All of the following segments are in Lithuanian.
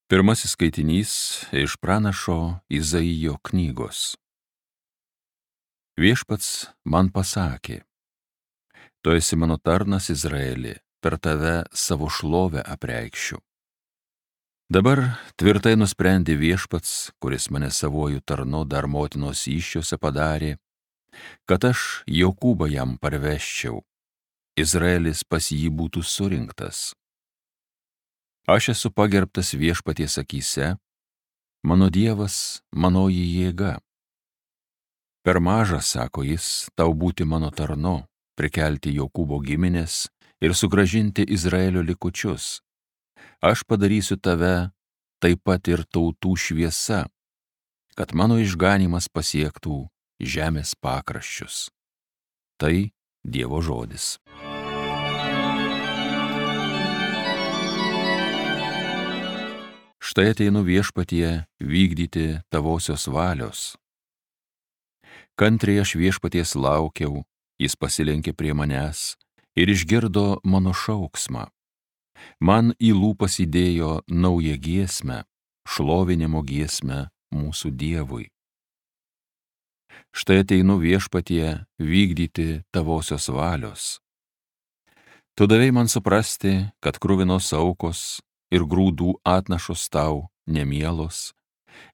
Pirmasis skaitinys iš pranašo Izaijo knygos. Viešpats man pasakė: Tu esi mano tarnas Izraeli, per tave savo šlovę apreikšiu. Dabar tvirtai nusprendė Viešpats, kuris mane savuoju tarnu dar motinos įsčiose padarė, kad aš Jokūbą jam parveščiau, Izraelis pas jį būtų surinktas. Aš esu pagerbtas Viešpaties akyse, mano Dievas, manoji jėga. Per maža, sako jis, tau būti mano tarnu, prikelti Jokūbo giminės ir sugrąžinti Izraelio likučius. Aš padarysiu tave taip pat ir tautų šviesa, kad mano išganymas pasiektų žemės pakraščius. Tai Dievo žodis. Štai ateinu Viešpatie vykdyti tavosios valios. Kantriai aš Viešpaties laukiau, jis pasilenkė prie manęs ir išgirdo mano šauksmą. Man į lūpas įdėjo naują giesmę, šlovinimo giesmę mūsų Dievui. Štai ateinu Viešpatie vykdyti tavosios valios. Tu davei man suprasti, kad kruvinos aukos ir grūdų atnašos tau nemielos,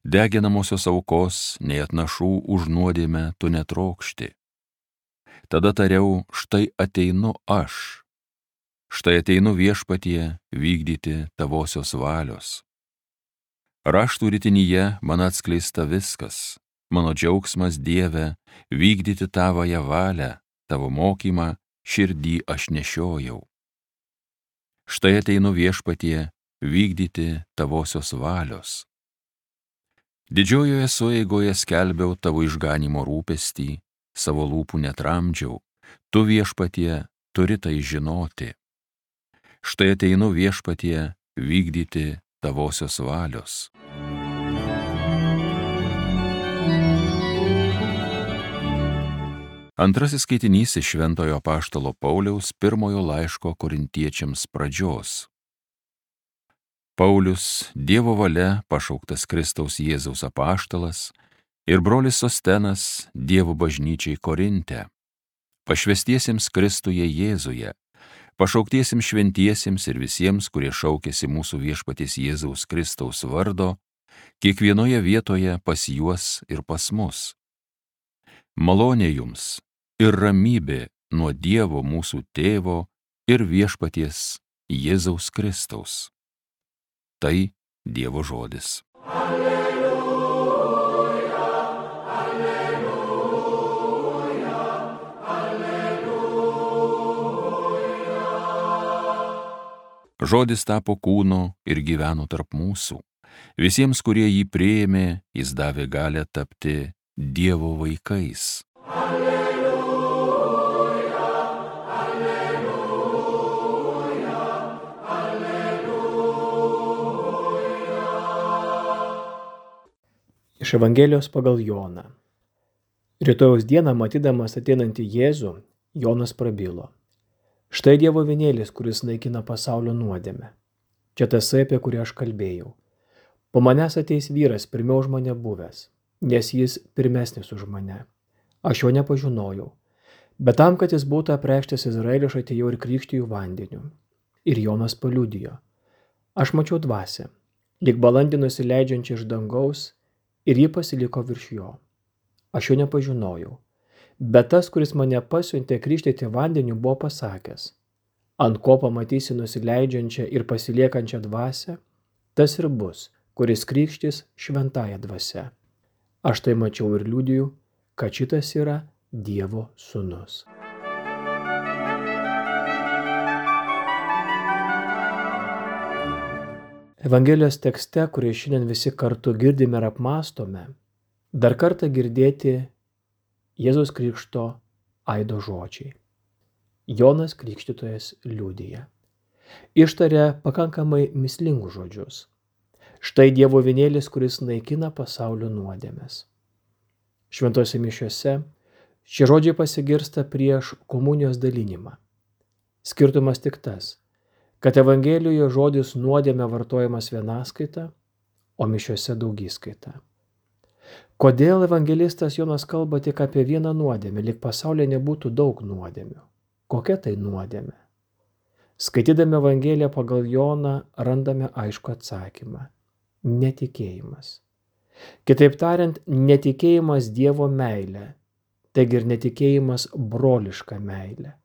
deginamosios aukos nei atnašų už nuodėmę tu netrokšti. Tada tariau, štai ateinu aš. Štai ateinu Viešpatie vykdyti tavosios valios. Raštų ritinyje man atskleista viskas, mano džiaugsmas Dieve vykdyti tavąją valią, tavo mokymą širdį aš nešiojau. Štai ateinu Viešpatie vykdyti tavosios valios. Didžiojoje sueigoje skelbiau tavo išganymo rūpestį, savo lūpų netramdžiau, tu Viešpatie turi tai žinoti. Štai ateinu Viešpatie vykdyti tavosios valios. Antrasis skaitinys iš Šventojo apaštalo Pauliaus pirmojo laiško Korintiečiams pradžios. Paulius, Dievo valia pašauktas Kristaus Jėzaus apaštalas, ir brolis Sostenas Dievo bažnyčiai Korinte, pašvęstiesiems Kristuje Jėzuje, pašauktiesiems šventiesiems ir visiems, kurie šaukėsi mūsų Viešpaties Jėzaus Kristaus vardo, kiekvienoje vietoje pas juos ir pas mus. Malonė jums ir ramybė nuo Dievo mūsų Tėvo ir Viešpaties Jėzaus Kristaus. Tai Dievo žodis. Alleluja, alleluja, alleluja. Žodis tapo kūnu ir gyveno tarp mūsų. Visiems, kurie jį priėmė, jis davė galią tapti Dievo vaikais. Iš Evangelijos pagal Joną. Rytojaus dieną, matydamas ateinantį Jėzų, Jonas prabilo: Štai Dievo avinėlis, kuris naikina pasaulio nuodėmę. Čia tasai, apie kurį aš kalbėjau. Po manęs ateis vyras, pirmiau už mane buvęs, nes jis pirmesnis už mane. Aš jo nepažinojau, bet tam, kad jis būtų apreikštas Izraeliui, aš atėjau ir krikštiju vandeniu. Ir Jonas paliudijo: Aš mačiau dvasią, lyg balandį nusileidžiančią iš dangaus, ir ji pasiliko virš jo. Aš jo nepažinojau, bet tas, kuris mane pasiuntė krikštyti vandeniu, buvo pasakęs: Ant ko pamatysi nusileidžiančią ir pasiliekančią dvasią, tas ir bus, kuris krikštys šventąja dvasia. Aš tai mačiau ir liudiju, kad šitas yra Dievo sūnus. Evangelijos tekste, kurį šiandien visi kartu girdime ir apmąstome, dar kartą girdėti Jėzaus Krikšto aido žodžiai. Jonas Krikštytojas liudija. Ištaria pakankamai mįslingus žodžius. Štai Dievo avinėlis, kuris naikina pasaulio nuodėmes. Šventose mišiose šie žodžiai pasigirsta prieš komunijos dalinimą. Skirtumas tik tas, kad Evangelijoje žodis nuodėmė vartojamas vienaskaita, o mišiose daugiskaita. Kodėl evangelistas Jonas kalba tik apie vieną nuodėmę, lyg pasaulyje nebūtų daug nuodėmių? Kokia tai nuodėmė? Skaitydami Evangeliją pagal Joną randame aišku atsakymą – netikėjimas. Kitaip tariant, netikėjimas Dievo meilė, taigi ir netikėjimas broliška meilė.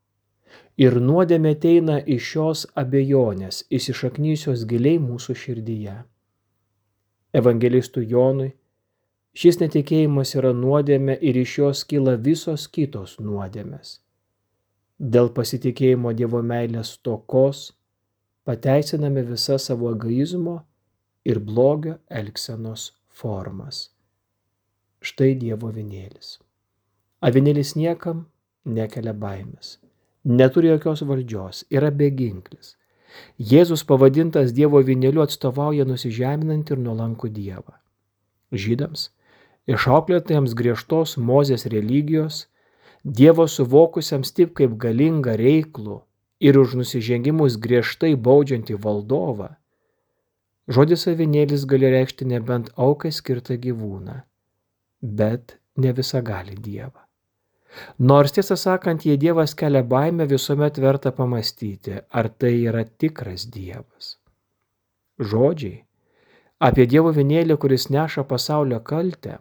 Ir nuodėmė ateina iš šios abejonės, įsišaknyjusios giliai mūsų širdyje. Evangelistui Jonui šis netikėjimas yra nuodėmė ir iš jos kyla visos kitos nuodėmės. Dėl pasitikėjimo Dievo meilės stokos pateisiname visą savo egoizmo ir blogio elgsenos formas. Štai Dievo avinėlis. Avinėlis niekam nekelia baimės, neturi jokios valdžios, yra beginklis. Jėzus pavadintas Dievo avinėliu atstovauja nusižeminantį ir nuolankų Dievą. Žydams, išauklėtiems griežtos Mozės religijos, Dievo suvokusiems taip kaip galingą reiklų ir už nusižengimus griežtai baudžiantį valdovą, žodis avinėlis gali reikšti nebent aukai skirtą gyvūną, bet ne visagalį Dievą. Nors tiesą sakant, jei Dievas kelia baimę, visuomet verta pamastyti, ar tai yra tikras Dievas. Žodžiai apie Dievo avinėlį, kuris neša pasaulio kaltę,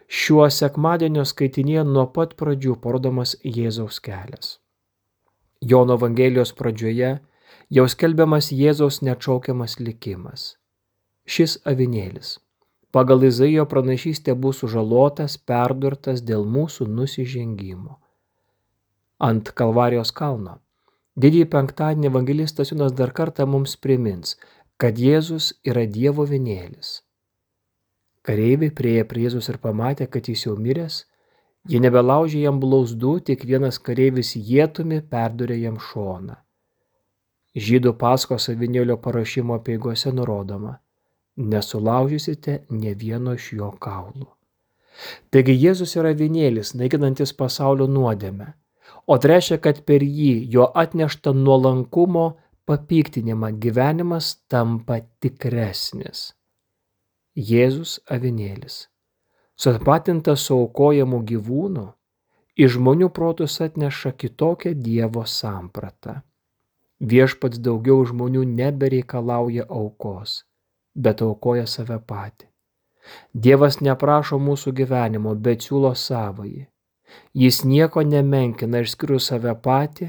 šiuo sekmadienio skaitinėje nuo pat pradžių parodomas Jėzaus kelias. Jono Evangelijos pradžioje jau skelbiamas Jėzaus neatšaukiamas likimas. Šis avinėlis pagal Izaijo pranašystę bus sužalotas, perdurtas dėl mūsų nusižengimo. Ant Kalvarijos kalno didįjį penktadienį evangelistas Jonas dar kartą mums primins, kad Jėzus yra Dievo avinėlis. Kareiviai priėjo prie Jėzus ir pamatė, kad jis jau miręs, jie nebelaužė jam blauzdų, tik vienas kareivis ietumi perdurė jam šoną. Žydų Paskos avinėlio paruošimo apeigose nurodoma: nesulaužysite ne vieno iš jo kaulų. Taigi Jėzus yra avinėlis, naikinantis pasaulio nuodėmę, o tai reiškia, kad per jį, jo atneštą nuolankumo papiktinimą, gyvenimas tampa tikresnis. Jėzus avinėlis, sutapatintas su aukojamu gyvūnu, į žmonių protus atneša kitokią Dievo sampratą. Viešpats daugiau žmonių nebereikalauja aukos, bet aukoja save patį. Dievas neprašo mūsų gyvenimo, bet siūlo savąjį. Jis nieko nemenkina išskyrus save patį,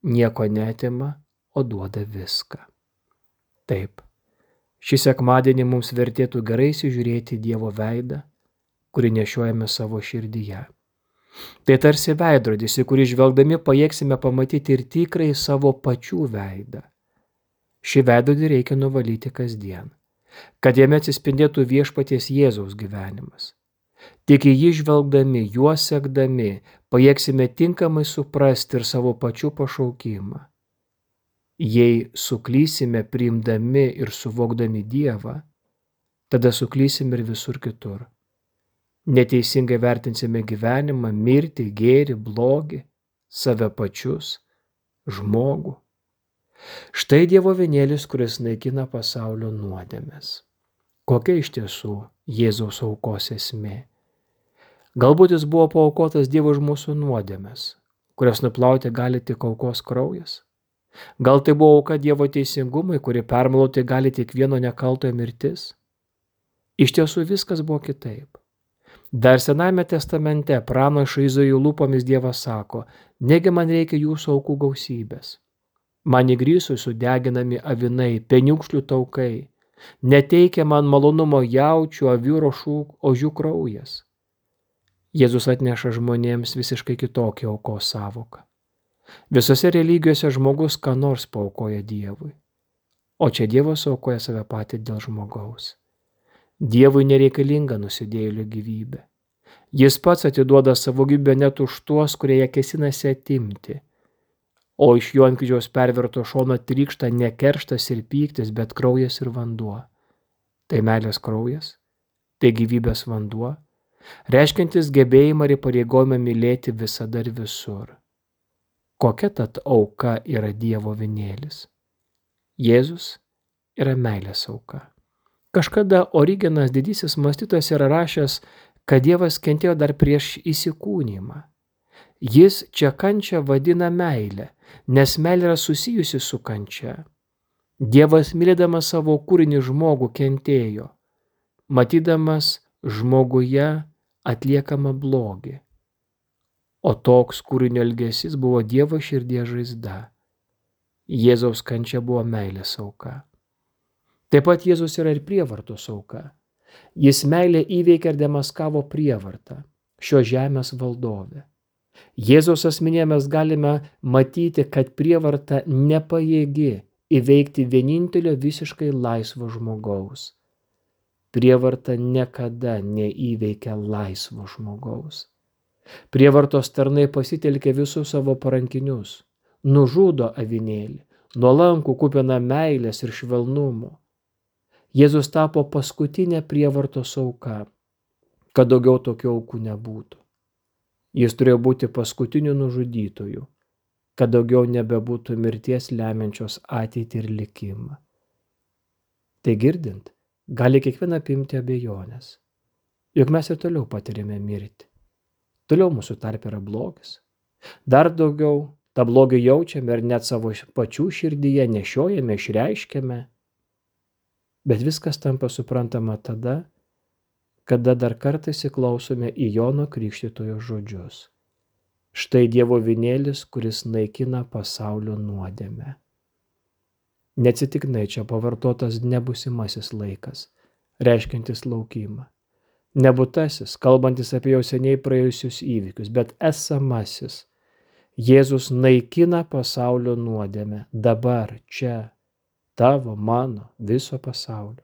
nieko neatima, o duoda viską. Taip, šį sekmadienį mums vertėtų gerai įsižiūrėti Dievo veidą, kurį nešiojame savo širdyje. Tai tarsi veidrodis, į kurį žvelgdami pajėgsime pamatyti ir tikrai savo pačių veidą. Šį veidrodį reikia nuvalyti kasdien, kad jame atsispindėtų viešpaties Jėzaus gyvenimas. Tik į jį žvelgdami, juo sekdami, pajėgsime tinkamai suprasti ir savo pačių pašaukimą. Jei suklysime priimdami ir suvokdami Dievą, tada suklysim ir visur kitur. Neteisingai vertinsime gyvenimą, mirtį, gėrį, blogį, save pačius, žmogų. Štai Dievo avinėlis, kuris naikina pasaulio nuodėmes. Kokia iš tiesų Jėzaus aukos esmė? Galbūt jis buvo paaukotas Dievo už mūsų nuodėmes, kurias nuplauti gali tik aukos kraujas? Gal tai buvo auka Dievo teisingumui, kuri permalauti gali tik vieno nekaltojo mirtis? Iš tiesų viskas buvo kitaip. Dar Senajame testamente pranašo Izaijo lūpomis Dievas sako: negi man reikia jūsų aukų gausybės. Man įgrįsui sudeginami avinai, peniukšlių taukai, neteikia man malonumo jaučių, avių ir ožių kraujas. Jėzus atneša žmonėms visiškai kitokią aukos savoką. Visose religijose žmogus ką nors paaukoja Dievui, o čia Dievas aukoja save patį dėl žmogaus. Dievui nereikalinga nusidėjėlio gyvybė. Jis pats atiduoda savo gyvybę net už tuos, kurie ją kėsinasi atimti. O iš jo ant kryžiaus perverto šono trykšta ne kerštas ir pyktis, bet kraujas ir vanduo. Tai meilės kraujas, tai gyvybės vanduo, reiškiantis gebėjimą ir įpareigojimą mylėti visada ir visur. Kokia tad auka yra Dievo avinėlis? Jėzus yra meilės auka. Kažkada Origenas didysis mąstytojas yra rašęs, kad Dievas kentėjo dar prieš įsikūnymą. Jis čia kančią vadina meilę, nes meilė yra susijusi su kančia. Dievas mylėdamas savo kūrinį žmogų kentėjo, matydamas žmoguje atliekamą blogį. O toks kūrinio elgesys buvo Dievo širdies žaizda. Jėzaus kančia buvo meilės auka. Taip pat Jėzus yra ir prievartos auka. Jis meilę įveikė ir demaskavo prievartą, šios žemės valdovę. Jėzaus asmenyje mes galime matyti, kad prievarta nepajėgi įveikti vienintelio visiškai laisvo žmogaus. Prievarta niekada neįveikia laisvo žmogaus. Prievartos tarnai pasitelkia visus savo parankinius, nužudo avinėlį, nuolankų kupiną meilės ir švelnumo. Jėzus tapo paskutinė prievartos auka, kad daugiau tokių aukų nebūtų. Jis turėjo būti paskutiniu nužudytoju, kad daugiau nebebūtų mirties lemiančios ateitį ir likimą. Tai girdint, gali kiekvieną apimti abejonės, juk mes ir toliau patiriame mirtį. Toliau mūsų tarpe yra blogis. Dar daugiau tą blogį jaučiame ir net savo pačių širdyje nešiojame, išreiškiame. Bet viskas tampa suprantama tada, kada dar kartą įsiklausome į Jono Krikštytojo žodžius. Štai Dievo avinėlis, kuris naikina pasaulio nuodėmę. Neatsitiktinai čia pavartotas nebusimasis laikas, reiškiantis laukimą. Nebūtasis, kalbantis apie jau seniai praėjusius įvykius, bet esamasis. Jėzus naikina pasaulio nuodėmę dabar, čia, tavo, mano, viso pasaulio.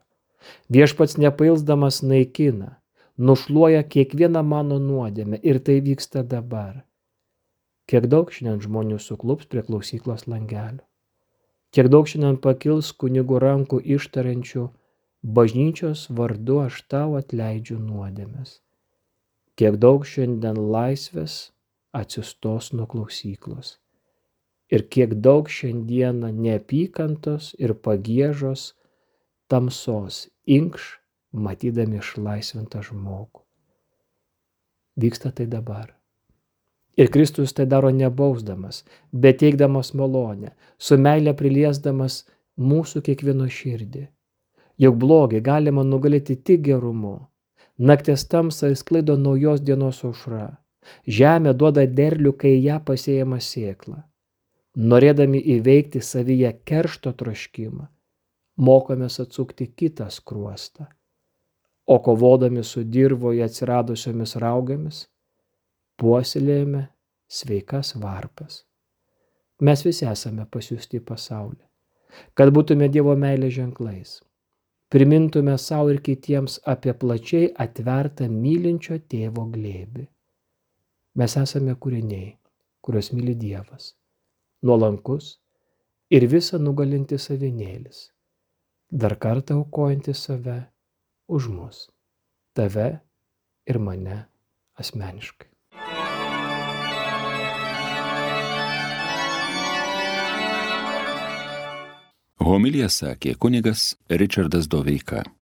Viešpats nepailsdamas naikina, nušluoja kiekvieną mano nuodėmę ir tai vyksta dabar. Kiek daug šiandien žmonių suklups prie klausyklos langelio. Kiek daug šiandien pakils kunigų rankų ištariančių bažnyčios vardu aš tau atleidžiu nuodėmes. Kiek daug šiandien laisvės atsistos nuo klausyklos. Ir kiek daug šiandieną neapykantos ir pagiežos tamsos inkš, matydami išlaisvintą žmogų. Vyksta tai dabar. Ir Kristus tai daro nebausdamas, bet teikdamas malonę, su meile priliesdamas mūsų kiekvieno širdį. Juk blogį galima nugalėti tik gerumu. Nakties tamsą sklaido naujos dienos aušra. Žemė duoda derlių, kai ją pasėjama sėkla. Norėdami įveikti savyje keršto troškimą, mokomės atsukti kitą skruostą. O kovodami su dirvoje atsiradusiomis raugomis, puoselėjame sveikas varpas. Mes visi esame pasiųsti į pasaulį, kad būtume Dievo meilės ženklais. Primintume savo ir kitiems apie plačiai atvertą mylinčio tėvo glėbį. Mes esame kūriniai, kuriuos myli Dievas, nuolankus ir visą nugalintis avinėlis, dar kartą aukojantis save už mus, tave ir mane asmeniškai. Homiliją sakė kunigas Ričardas Doveika.